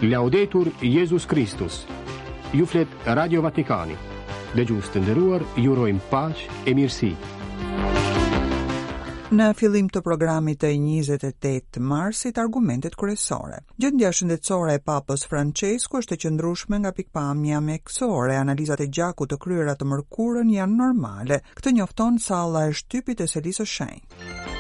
Laudetur Jezus Kristus. Ju flet Radio Vatikani. Dëgjues të nderuar, ju urojmë paqe e mirësi. Në fillim të programit të 28 marsit, argumentet kryesore. Gjendja shëndetësore e Papës Françesku është e qëndrueshme nga pikëpamja mjekësore. Analizat e gjakut të kryera të mërkurën janë normale. Këtë njofton salla e shtypit e Selisë së Shenjtë.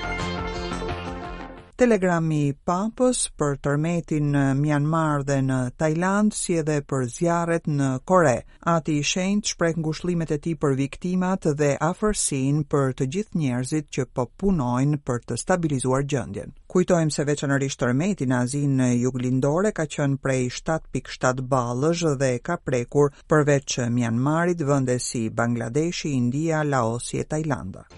Telegrami i Papës për tërmetin në Myanmar dhe në Tajlandë, si edhe për zjarret në Kore. Ati i Shenjtë shpreh ngushëllimet e tij për viktimat dhe afërsinë për të gjithë njerëzit që po punojnë për të stabilizuar gjendjen. Kujtojmë se veçanërisht tërmeti në Azinë Juglindore ka qenë prej 7.7 ballësh dhe ka prekur përveç Myanmarit vende si Bangladeshi, India, Laosi e Tajlanda.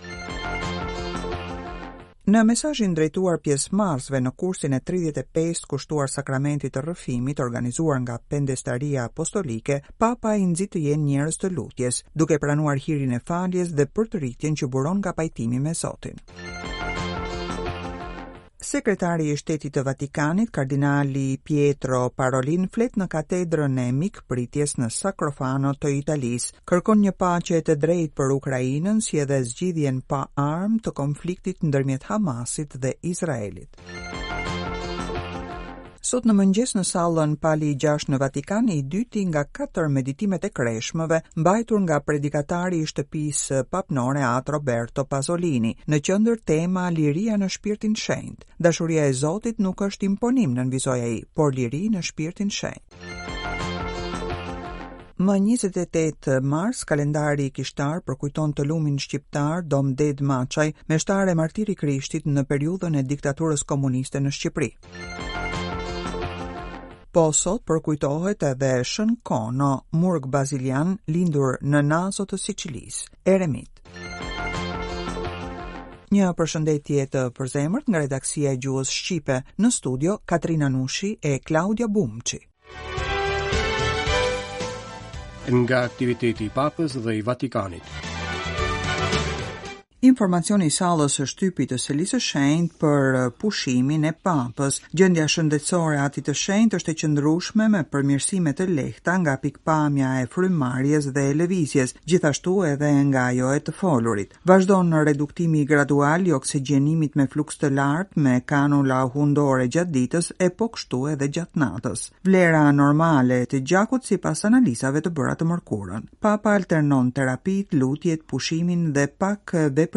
Në mesazhin drejtuar pjesëmarrësve në kursin e 35 kushtuar sakramentit të rrëfimit organizuar nga Pendestaria Apostolike, Papa i nxit të jenë njerëz të lutjes, duke pranuar hirin e faljes dhe përtëritjen që buron nga pajtimi me Zotin. Sekretari i Shtetit të Vatikanit, kardinali Pietro Parolin flet në katedrën e mikpritjes në Sacrofano të Italisë. Kërkon një paqe të drejtë për Ukrainën si edhe zgjidhjen pa armë të konfliktit ndërmjet Hamasit dhe Izraelit. Sot në mëngjes në sallën Pali 6 në Vatikan, i dyti nga katër meditimet e kreshmëve, mbajtur nga predikatari i shtëpisë papnore At Roberto Pasolini, në qendër tema Liria në shpirtin shenjt. Dashuria e Zotit nuk është imponim, nënvizoi ai, por liri në shpirtin shenjt. Më 28 mars, kalendari kishtar përkujton të lumin shqiptar Dom Dedë Maçaj, meshtar e martir i Krishtit në periudhën e diktaturës komuniste në Shqipëri. Po sot përkujtohet edhe Shën Kono, murg bazilian, lindur në Nazo të Sicilisë, eremit. Një përshëndetje të përzemërt nga redaksia e gjuhës shqipe në studio Katrina Nushi e Klaudia Bumçi. Nga aktiviteti i Papës dhe i Vatikanit. Informacioni i sallës së shtypit të Selisë së Shenjtë për pushimin e Papës. Gjendja shëndetësore e Atit të Shenjtë është e qëndrueshme me përmirësime të lehta nga pikëpamja e frymëmarrjes dhe e lëvizjes, gjithashtu edhe nga ajo e të folurit. Vazhdon reduktimi gradual i oksigjenimit me fluks të lartë me kanula hundore gjatë ditës e po kështu edhe gjatë natës. Vlera normale të gjakut sipas analizave të bëra të mërkurën. Papa alternon terapitë, lutjet, pushimin dhe pak veprimtari.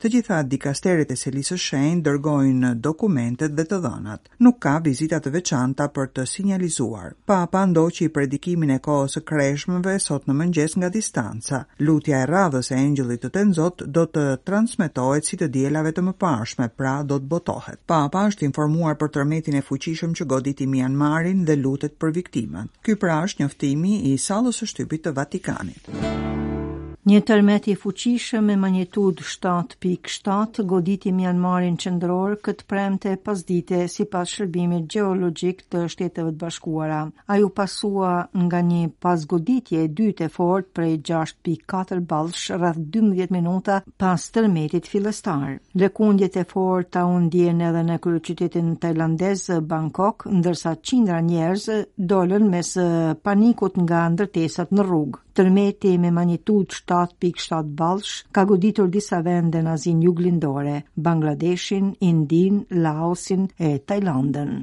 Të gjitha dikasteret e Selisë së Shenjtë dërgojnë dokumentet dhe të dhënat. Nuk ka vizita të veçanta për të sinjalizuar. Papa ndoqi predikimin e kohës së kreshmëve sot në mëngjes nga distanca. Lutja e radhës e Engjëllit të Tenzot do të transmetohet si të dielave të mëparshme, pra do të botohet. Papa është informuar për tërmetin e fuqishëm që goditi Mianmarin dhe lutet për viktimat. Ky pra është njoftimi i sallës së shtypit të Vatikanit. Një tërmet i fuqishëm me magnitudë 7.7 goditi Myanmarin qendror këtë të premte pasdite sipas shërbimit gjeologjik të Shteteve të Bashkuara. Ai u pasua nga një pasgoditje e dytë e fortë prej 6.4 ballësh rreth 12 minuta pas tërmetit fillestar. Lëkundjet e forta u ndjenë edhe në kryeqytetin tajlandez Bangkok, ndërsa qindra njerëz dolën mes panikut nga ndërtesat në rrugë. Tërmeti me magnitudë 7.7 ballësh ka goditur disa vende në Azinë Juglindore, Bangladeshin, Indinë, Laosin e Tajlandën.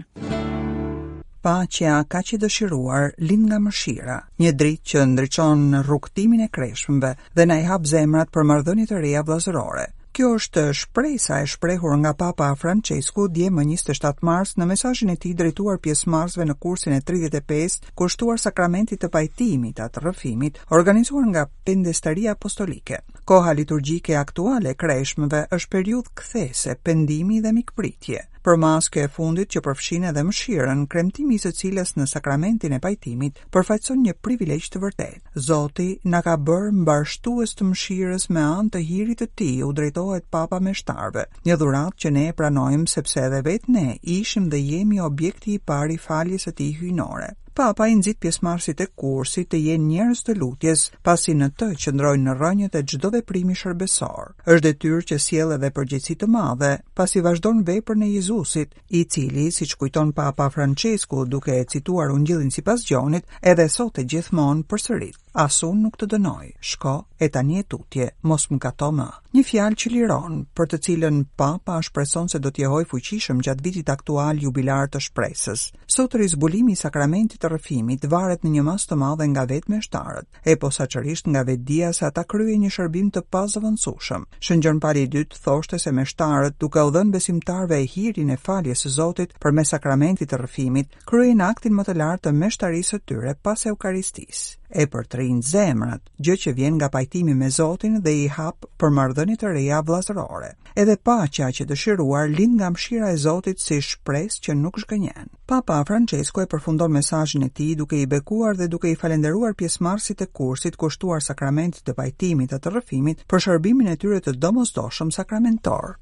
Paqja kaq e dëshiruar lind nga mëshira, një dritë që ndriçon rrugëtimin e kreshmëve dhe na i hap zemrat për marrëdhënie të reja vëllazërore. Kjo është shpresa e shprehur nga Papa Françesku dje më 27 mars në mesazhin e tij drejtuar pjesëmarrësve në kursin e 35 kushtuar sakramentit të pajtimit, a të rrëfimit, organizuar nga Pendestaria Apostolike. Koha liturgjike aktuale e kreshmëve është periudhë kthese, pendimi dhe mikpritje. Përmasë kjo e fundit që përfshin edhe mëshirën, kremtimi i së cilës në sakramentin e pajtimit përfaqëson një privilegj të vërtetë. Zoti na ka bërë mbarështues të mëshirës me anë të hirit të tij, u drejtohet Papa meshtarëve. Një dhuratë që ne e pranojmë sepse edhe vetë ne ishim dhe jemi objekti i parë i faljes së tij hyjnore. Papa i nxit pjesëmarrësit e kursit të jenë njerëz të lutjes, pasi në të qëndrojnë rrënjët e çdo veprimi shërbesor. Është detyrë që sjell edhe përgjegjësi të madhe. pasi vazhdon veprën e Jezusit, i cili, siç kujton Papa Françesku duke e cituar Ungjillin sipas Gjonit, edhe sot e gjithmonë përsërit, As unë nuk të dënoj, shko e tani e tutje, mos mëkato më. Një fjalë që liron, për të cilën Papa shpreson se do të jehojë fuqishëm gjatë vitit aktual jubilar të shpresës. Sot rizbulimi i sakramentit të rrëfimit varet në një masë të madhe nga vetë meshtarët. e posaçërisht nga vetëdija se ata kryejnë një shërbim të pazëvendësueshëm. Shën Gjon Pali i Dytë thoshte se meshtarët, duke u dhënë besimtarëve hirin e faljes së Zotit përmes sakramentit të rrëfimit, kryejnë aktin më të lartë të meshtarisë së tyre pas Eukaristisë. E përtërijnë zemrat, gjë që vjen nga pajtimi me Zotin dhe i hap për marrëdhënie të reja vëllazërore. Edhe paqja aq e dëshiruar lind nga mëshira e Zotit si shpresë që nuk zhgënjen. Papa Françesku e përfundon mesazhin e tij duke i bekuar dhe duke i falënderuar pjesëmarrësit e kursit kushtuar sakramentit të pajtimit e të rrëfimit për shërbimin e tyre të domosdoshëm sakramentor.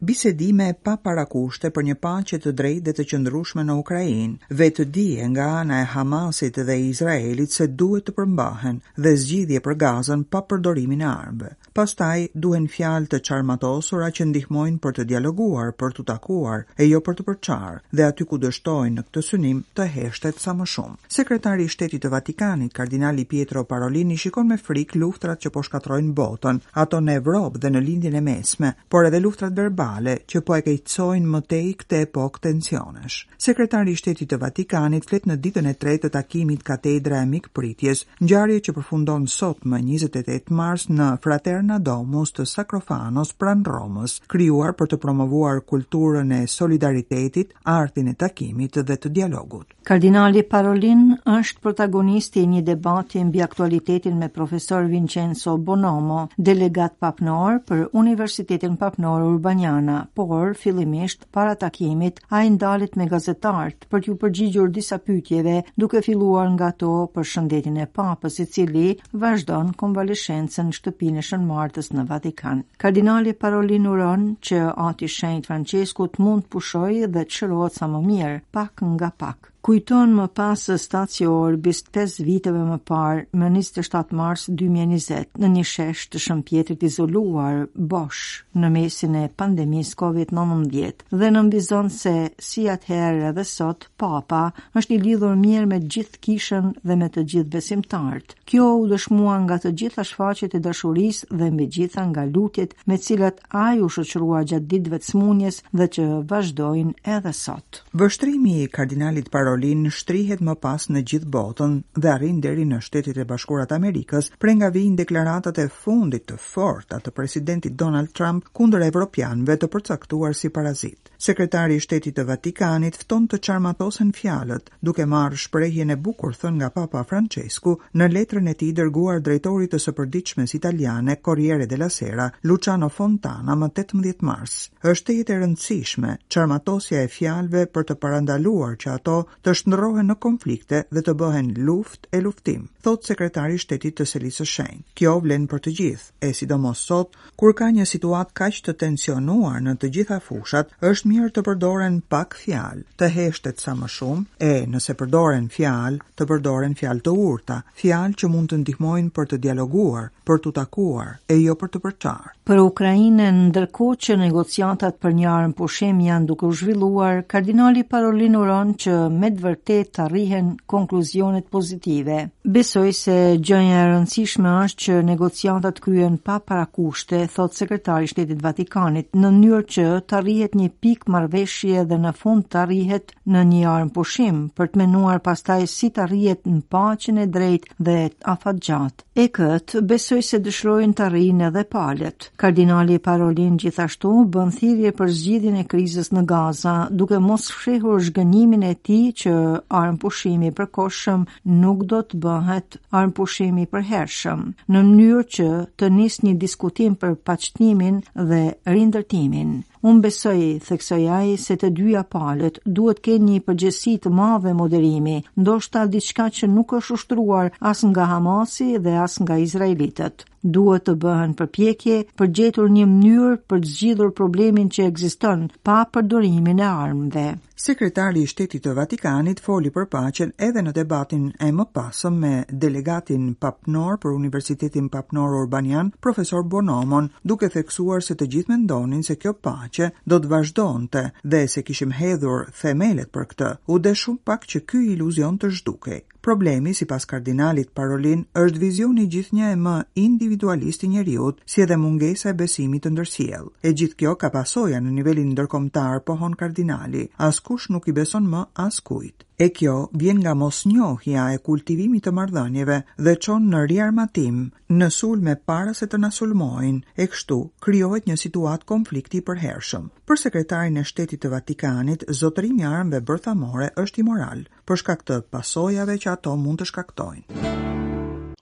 Bisedime pa parakushte për një paqe të drejtë dhe të qëndrueshme në Ukrainë, vetëdije nga ana e Hamasit dhe Izraelit se duhet të përmbahen dhe zgjidhje për Gazën pa përdorimin e armëve. Pastaj duhen fjalë të çarmatosura që ndihmojnë për të dialoguar, për t'u takuar, e jo për të përçarë, dhe aty ku dështojnë në këtë synim, të heshtet sa më shumë. Sekretari i Shtetit të Vatikanit, kardinali Pietro Parolin i shikon me frikë luftrat që po shkatërrojnë botën, ato në Evropë dhe në Lindjen e Mesme, por edhe luftrat verbale që po e keqësojnë më tej këtë epokë tensionesh. Sekretari i Shtetit të Vatikanit flet në ditën e tretë të takimit Katedra e Mikpritjes, ngjarje që përfundon sot më 28 mars në Fraterna Domus të Sacrofanos pranë Romës, krijuar për të promovuar kulturën e solidaritetit, artin e takimit dhe të dialogut. Kardinali Parolin është protagonisti i një debati mbi aktualitetin me profesor Vincenzo Bonomo, delegat papnor për Universitetin Papnor Urbaniana, por fillimisht Para takimit, ai ndalet me gazetarët për t'iu përgjigjur disa pyetjeve, duke filluar nga ato për shëndetin e Papës, i cili vazhdon konvaleshencën në shtëpinë e Shën Martës në Vatikan. Kardinali Parolin uron që Ati i Shenjtë Françesku të mund të pushojë dhe të shërohet sa më mirë, pak nga pak. Kujton më pas Statio Orbis 5 viteve më parë, më 27 mars 2020, në një shesh të Shën Pjetrit izoluar, bosh, në mesin e pandemisë COVID-19, dhe nënvizon se, si atëherë edhe sot, Papa është i lidhur mirë me gjithë kishën dhe me të gjithë besimtarët. Kjo u dëshmua nga të gjitha shfaqjet e dashurisë dhe mbi gjitha nga lutjet me cilat ai u shoqërua gjatë ditëve të sëmundjes dhe që vazhdojnë edhe sot. Vështrimi i kardinalit Parolin shtrihet më pas në gjithë botën dhe arrin deri në Shtetet e Bashkuara të Amerikës, prej nga vijnë deklaratat e fundit të forta të presidentit Donald Trump kundër evropianëve të përcaktuar si parazitë. Sekretari i Shtetit të Vatikanit fton të çarmatosen fjalët, duke marrë shprehjen e bukur thënë nga Papa Françesku në letrën e tij dërguar drejtorit të së përditshmes italiane Corriere della Sera, Luciano Fontana më 18 mars. Është tejet e rëndësishme çarmatosja e fjalëve për të parandaluar që ato të shndërrohen në konflikte dhe të bëhen luftë e luftim, thotë sekretari i Shtetit të Selisë së Shenjtë. Kjo vlen për të gjithë, e sidomos sot, Kur ka një situatë kaq të tensionuar në të gjitha fushat, është mirë të përdoren pak fjalë, të heshtet sa më shumë, e nëse përdoren fjalë, të përdoren fjalë të urta, fjalë që mund të ndihmojnë për të dialoguar, për t'u takuar, e jo për të përçarë. Për Ukrainën, ndërkohë që negociatat për një armëpushim janë duke u zhvilluar, kardinali Parolin uron që me të vërtetë të arrihen konkluzionet pozitive. Besoj se gjëja e rëndësishme është që negociatat kryhen pa parakushte, thotë sekretari i Shtetit të Vatikanit, në mënyrë që të arrihet një pikë marrëveshje dhe në fund të arrihet në një armëpushim, për të menduar pastaj si të arrihet në paqen e drejtë dhe afatgjatë. E këtë, besoj se dëshirojnë të arrijnë edhe palët. Kardinali Parolin gjithashtu bën thirrje për zgjidhjen e krizës në Gaza, duke mos fshehur zhgënjimin e tij që armëpushimi i përkohshëm nuk do të bëhet armëpushim i përhershëm, në mënyrë që të nisë një diskutim për paqtimin dhe rindërtimin. Unë besoj, theksoi ai, se të dyja palët duhet të kenë një përgjegjësi të madhe moderimi, ndoshta diçka që nuk është ushtruar as nga Hamasi dhe as nga izraelitët. Duhet të bëhen përpjekje për gjetur një mënyrë për të zgjidhur problemin që ekziston pa përdorimin e armëve. Sekretari i Shtetit të Vatikanit foli për paqen edhe në debatin e mëpasëm me delegatin papnor për Universitetin Papnor Urbanian, profesor Buonomon, duke theksuar se të gjithë mendonin se kjo paqe do të vazhdonte dhe se kishim hedhur themelet për këtë. U desh shumë pak që ky iluzion të zhdukej. Problemi, sipas kardinalit Parolin, është vizioni gjithnjë e më individualist i njeriut, si edhe mungesa e besimit të ndërsjellë. E gjithë kjo ka pasoja në nivelin ndërkombëtar, pohon kardinali. Askush nuk i beson më askujt. E kjo vjen nga mosnjohja e kultivimit të marrëdhënieve dhe çon në riarmatim, në sulme para se të na sulmojnë, e kështu krijohet një situatë konflikti i përhershëm. Për sekretarin e Shtetit të Vatikanit, zotërimi i armëve bërthamore është imoral, për shkak të pasojave që ato mund të shkaktojnë.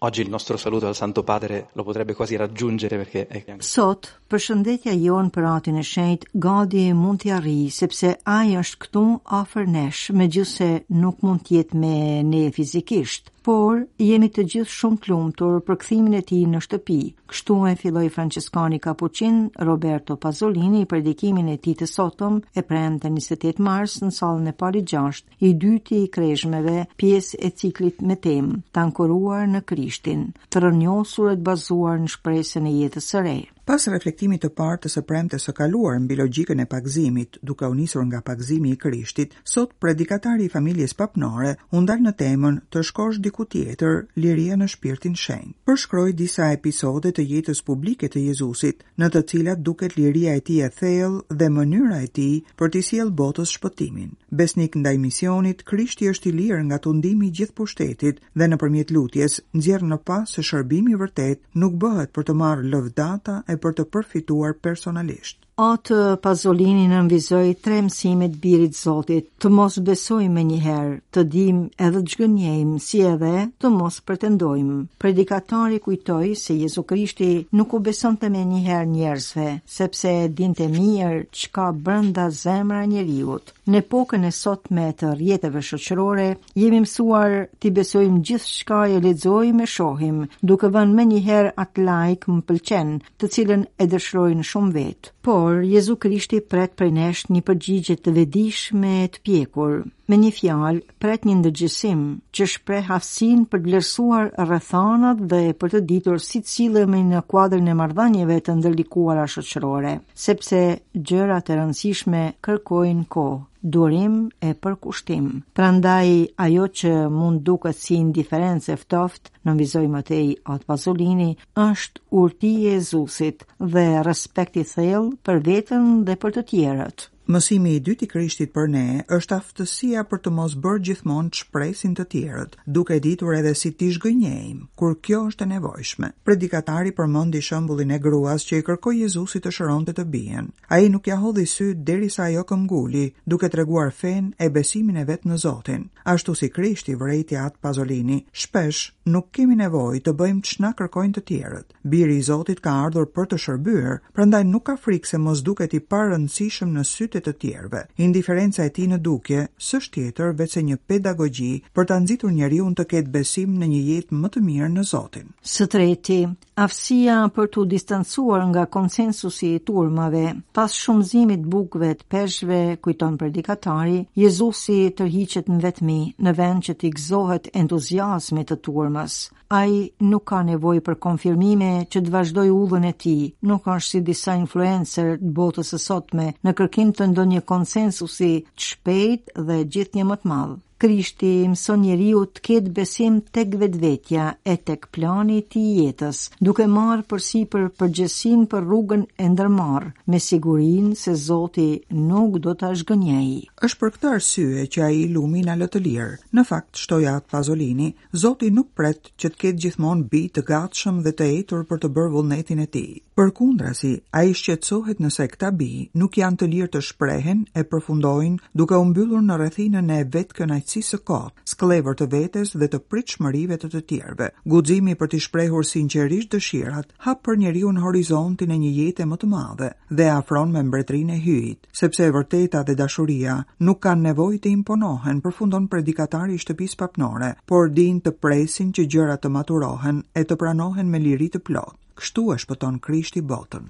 Oggi il nostro saluto al Santo Padre lo potrebbe quasi raggiungere perché è Sot, përshëndetja jonë për Atin e Shenjtë gati mund t'i arrijë, sepse ai është këtu afër nesh, megjithëse nuk mund të jetë me ne fizikisht. Por, jemi të gjithë shumë të lumtur për kthimin e tij në shtëpi. Kështu e filloi Françeskani Kapuçin Roberto Pasolini predikimin e tij të sotëm e premte 28 mars në sallën e Palit 6 i dyti i krezhmeve, pjesë e ciklit me temë, të ankoruar në Krishtin, të rrënjosur e të bazuar në shpresën e jetës së re. Pas reflektimit të parë të së premtes së kaluar mbi logjikën e pagëzimit, duke u nisur nga pagëzimi i Krishtit, sot predikatari i familjes papnore u ndal në temën Të shkosh diku tjetër, liria në shpirtin shenjt. Përshkroi disa episode të jetës publike të Jezusit, në të cilat duket liria e tij e thellë dhe mënyra e tij për t'i sjellë botës shpëtimin. Besnik ndaj misionit, Krishti është i lirë nga tundimi i gjithë pushtetit dhe nëpërmjet lutjes nxjerr në pah se shërbimi i vërtetë nuk bëhet për të marrë lëvdata e për të përfituar personalisht. Atë Pazolini nënvizoi tre mësime të Birit të Zotit, të mos besojmë menjëherë, të dimë edhe të zhgënjejmë, si edhe të mos pretendojmë. Predikatari kujtoi se Jezu Krishti nuk u besonte menjëherë njerëzve, sepse e dinte mirë ç'ka brenda zemra e njeriut. Në epokën e sotme të rrjeteve shoqërore, jemi mësuar t'i besojmë gjithçka e lexojmë e shohim, duke vënë menjëherë atë like më pëlqen, të cilën e dëshirojnë shumë vetë. Por, Jezu Krishti pret prej nesh një përgjigje të vetëdijshme e të pjekur. Me një fjalë, pret një ndërgjegjësim që shpreh aftësinë për të vlerësuar rrethanat dhe për të ditur si të sillemi në kuadrin e marrëdhënieve të ndërlikuara shoqërore, sepse gjërat e rëndësishme kërkojnë kohë, durim e përkushtim. Prandaj ajo që mund duket si indiferencë e ftohtë, nënvizoi më tej Atë Pazolini, është urti e Jezusit dhe respekt i thellë për veten dhe për të tjerët. Mësimi i dytë i Krishtit për ne është aftësia për të mos bërë gjithmonë ç'presin të tjerët, duke ditur edhe si t'i zhgënjejmë, kur kjo është e nevojshme. Predikatari përmendi shembullin e gruas që i kërkoi Jezusit të shëronte të bijën. Ai nuk ia hodhi sytë derisa ajo këmbguli, duke treguar fenë e besimin e vet në Zotin. Ashtu si Krishti, vërejti Atë Pazolini, shpesh nuk kemi nevojë të bëjmë ç'na kërkojnë të tjerët. Biri i Zotit ka ardhur për të shërbyer, prandaj nuk ka frikë se mos duket i parëndësishëm në sytë e të tjerëve. Indiferenca e tij në dukje s'është tjetër veçse një pedagogji për ta nxitur njeriun të ketë besim në një jetë më të mirë në Zotin. Së treti, aftësia për t'u distancuar nga konsensusi i turmave. Pas shumëzimit të bukëve të peshqve, kujton predikatari, Jezusi tërhiqet në vetmi, në vend që t'i gëzohet entuziazmit të turmës. Ai nuk ka nevojë për konfirmime që të vazhdojë udhën e tij, nuk është si disa influencer të botës së sotme në kërkim të ndonjë konsensusi të shpejtë dhe gjithnjë më të madh. Krishti i mëson njeriut të ketë besim tek vetvetja e tek plani i tij i jetës, duke marrë përsipër përgjegjësinë për rrugën e ndërmarrë, me sigurinë se Zoti nuk do ta zhgënjejë. Është për këtë arsye që ai i lumi na lë të lirë. Në fakt, shtoi Atë Pazolini, Zoti nuk pret që të ketë gjithmonë bij të gatshëm dhe të etur për të bërë vullnetin e tij. Përkundrazi, ai shqetësohet nëse këta bij nuk janë të lirë të shprehen e përfundojnë duke u mbyllur në rrethinën e vetëkënaqësisë. kënaqësisë së kotë, skllevër të vetes dhe të pritshmërive të të tjerëve. Guximi për t'i shprehur sinqerisht dëshirat, hap për njeriun horizontin e një jete më të madhe dhe e afron me mbretërinë e Hyjit, sepse e vërteta dhe dashuria nuk kanë nevojë të imponohen, përfundon predikatari i shtëpisë papnore, por dinë të presin që gjërat të maturohen e të pranohen me liri të plotë. Kështu e shpëton Krishti botën.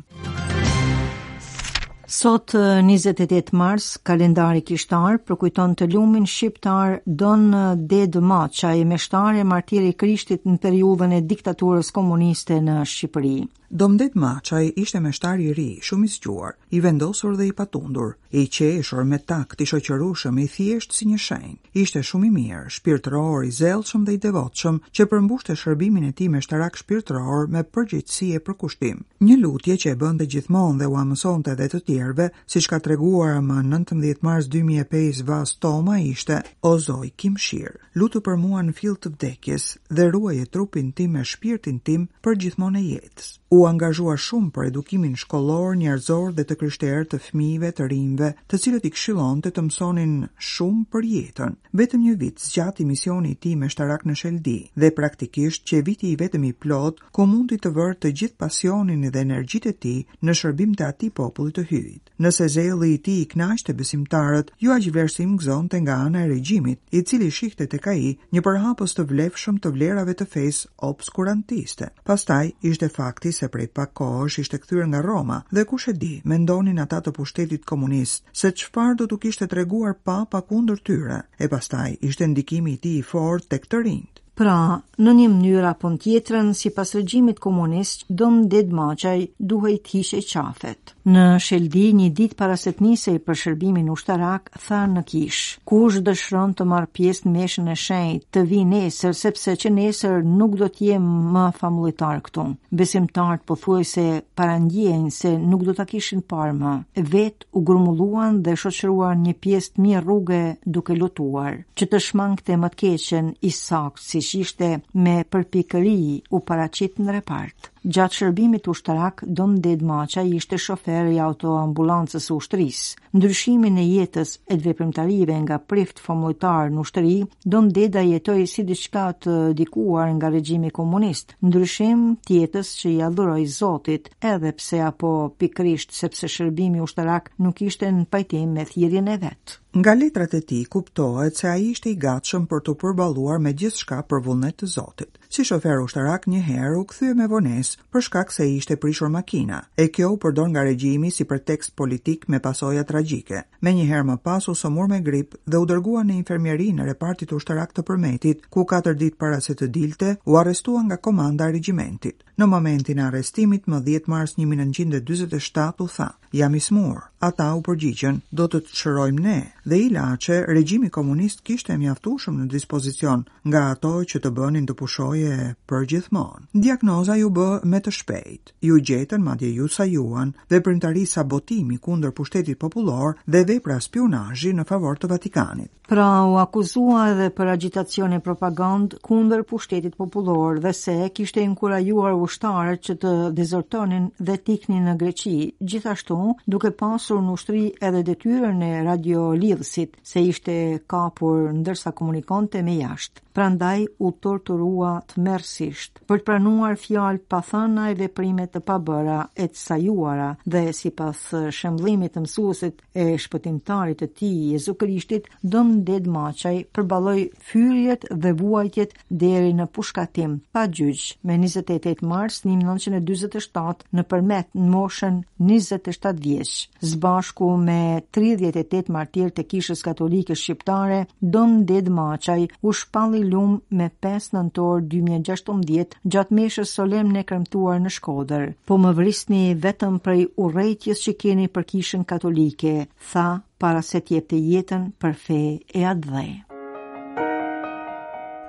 Sot 28 mars, kalendari kishtar përkujton të lumin shqiptar Don Dedë Maçaj, meshtar e martir i Krishtit në periudhën e diktaturës komuniste në Shqipëri. Dom Dedë Maçaj ishte meshtar i ri, shumë i zgjuar, i vendosur dhe i patundur, i qeshur, me takt, i shoqërueshëm, i thjeshtë si një shenjt. Ishte shumë i mirë, shpirtëror, i zellshëm dhe i devotshëm, që përmbushte shërbimin e tij meshtarak shpirtëror me përgjegjësi e përkushtim. Një lutje që e bënte gjithmonë dhe ua mësonte edhe të tjerëve, siç ka treguar më 19 mars 2005 Vas Toma ishte: O Zoj, ki mëshirë, lutu për mua në fill të vdekjes dhe ruaje trupin tim e shpirtin tim për gjithmonë e jetës. U angazhua shumë për edukimin shkollor, njerëzor dhe të krishterë të fëmijëve, të rinjve, të cilët i këshillonte të mësonin shumë për jetën. Vetëm një vit zgjati misioni i tij meshtarak në Sheldi dhe praktikisht qe viti i vetëm i plotë ku mundi të vërë të gjithë pasionin dhe energjitë e tij në shërbim të atij populli të Hyjit. Nëse zelli i tij i kënaqte besimtarët, jo aq vlerësim gëzonte nga ana e regjimit, i cili shihte tek ai një përhapës të vlefshëm të vlerave të fesë obskurantiste. Pastaj ishte fakti se prej pak kohësh ishte kthyer nga Roma dhe kush e di, mendonin ata të pushtetit komunist, se çfarë do t'u kishte treguar Papa kundër tyre, e pastaj ishte ndikimi i tij i fortë tek të rinjtë. Pra, në një mënyrë apo në tjetrën, sipas regjimit komunist, Dom Dedë Maçaj duhej të hiqej qafet. Në Sheldi, një ditë para se të nisej për shërbimin ushtarak, tha në kishë, kush dëshiron të marrë pjesë në meshën e shenjtë, të vijë nesër, sepse që nesër nuk do të jem më famullitar këtu. Besimtarët pothuajse parandjenë se nuk do ta kishin parë më. Vetë u grumbulluan dhe shoqëruan një pjesë të mirë rruge duke lotuar. Që të shmangte më të keqen, i saktë siç ishte me përpikëri u paraqit në repart. Gjatë shërbimit ushtarak, Dom Dedë Maçaj ishte shofer i autoambulancës së ushtrisë. Ndryshimin e jetës e të veprimtarive nga prift famullitar në ushtri, Dom Deda jetoi si diçka të dikuar nga regjimi komunist. Ndryshim të jetës që ia dhuroi Zotit, edhe pse apo pikërisht sepse shërbimi ushtarak nuk ishte në pajtim me thirrjen e vet. Nga letrat e tij kuptohet se ai ishte i gatshëm për t'u përballuar me gjithçka për vullnet të Zotit. Si shofer ushtarak një herë u kthye me vonesë për shkak se i ishte prishur makina, e kjo u përdor nga regjimi si pretekst politik me pasoja tragjike. Menjëherë më pas u sëmur me grip dhe u dërgua në infermierinë e repartit ushtarak të Përmetit, ku katër ditë para se të dilte, u arrestua nga komanda e regjimentit. Në momentin e arrestimit, më 10 mars 1947 u tha, jam i sëmurë. Ata u përgjigjën, do të të shërojmë ne. Dhe ilaçe, regjimi komunist kishte mjaftueshëm në dispozicion, nga ato që të bënin të pushoje përgjithmonë. Diagnoza iu bë me të shpejtë. Iu gjetën, madje iu sajuan, veprimtari sabotimi kundër pushtetit popullor dhe vepra spiunazhi në favor të Vatikanit. Pra u akuzua edhe për agjitacion e propagandë kundër pushtetit popullor dhe se kishte inkurajuar ushtarët që të dezertonin dhe të iknin në Greqi, gjithashtu duke pasur në ushtri edhe detyrën e radiolidhësit, se ishte kapur ndërsa komunikonte me jashtë. Prandaj u torturua tmerrësisht për të pranuar fjalë të pathëna e veprime të pabëra e të sajuara dhe sipas shembëllimit të mësuesit e shpëtimtarit të tij Jezu Krishtit, Dom Dedë Maçaj përballoi fyerjet dhe vuajtjet deri në pushkatim pa gjyq me 28 mars 1947 në Përmet në moshën 27 vjeç. Së bashku me 38 martirë të Kishës Katolike Shqiptare, Dom Dedë Maçaj u shpall i lum me 5 nëntor 2016 gjatë meshës solemne kremtuar në Shkodër. Po më vrisni vetëm prej urrejtjes që keni për Kishën Katolike, tha para se të jepte jetën për fe e atdhe.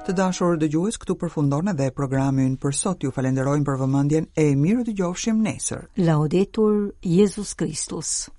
Të dashur dëgjues, këtu përfundon edhe programi ynë për sot. Ju falenderojmë për vëmendjen e mirudëgjofshim nesër. Laudetur Jezus Kristus.